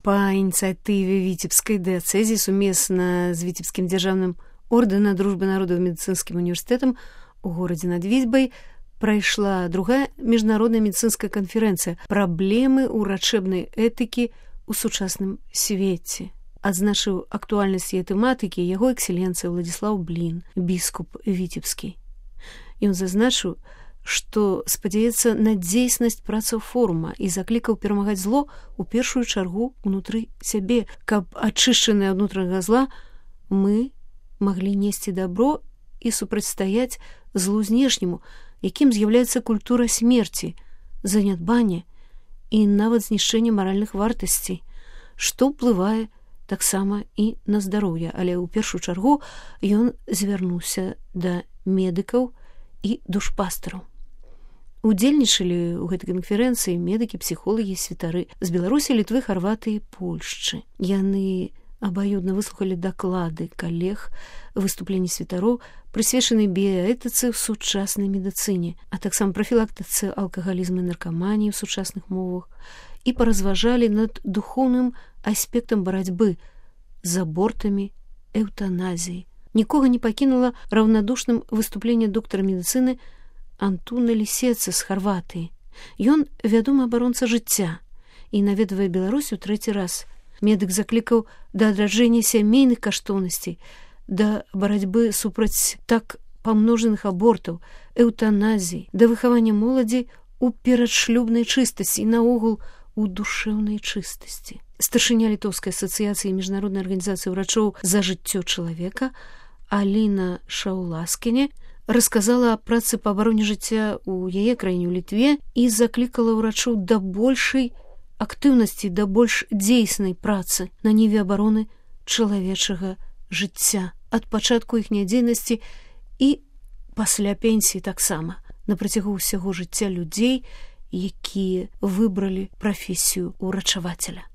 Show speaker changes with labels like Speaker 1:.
Speaker 1: Па ініцыятыве віцебскай дыяцэзіі сумесна з віцебскім дзяржаўным ордэна дружбы народаў медыцынскім універсітэтам у горадзе над Вітьбай прайшла другая міжнародная медыцынская канферэнцыя «Праблемы ўрачэбнай этыкі ў сучасным свеце». Адзначыў актуальнасць яе тэматыкі яго экселенцыя Владзіслаў Блін, біскуп віцебскі. Ён зазначыў, што спадзяецца на дзейснасць працаў форума і заклікаў перамагаць зло ў першую чаргу ўнутры сябе, каб ачышчаныя ад унутранага зла мы маглі несці дабро і супрацьстаяць злу знешняму, якім з'яўляецца культура смерці, занядбання і нават знішчэнне маральных вартасцей, што ўплывае таксама і на здароўе, але ў першую чаргу ён звярнуўся да медыкаў і душпастараў. Удзельнічалі ў гэтай канферэнцыі медыкі, псіхолагі, святары з Беларусі, Літвы, Харватыі, Польшчы. Яны абаюдна выслухалі даклады калег, выступленні святароў, прысвечаныя біяэтыцы ў сучаснай медыцыне, а таксама прафілактыцы алкагалізму і наркаманіі ў сучасных мовах і паразважалі над духоўным аспектам барацьбы з абортамі, эўтаназіяй. Нікога не пакінула раўнадушным выступленне доктара медыцыны Антуна Лісеца з Харватыі. Ён вядомы абаронца жыцця і наведвае Беларусь у трэці раз. Медык заклікаў да адраджэння сямейных каштоўнасцей, да барацьбы супраць так памножаных абортаў, эўтаназій, да выхавання моладзі ў перадшлюбнай чыстасці і наогул у душэўнай чыстасці. Старшыня Літоўскай асацыяцыі міжнароднай арганізацыі ўрачоў за жыццё чалавека Аліна Шауласкіне расказала аб працы па абароне жыцця ў яе краіне, ў Літве, і заклікала ўрачоў да большай актыўнасці, да больш дзейснай працы на ніве абароны чалавечага жыцця ад пачатку іхняй дзейнасці і пасля пенсіі таксама, на працягу ўсяго жыцця людзей, якія выбралі прафесію ўрачавацеля.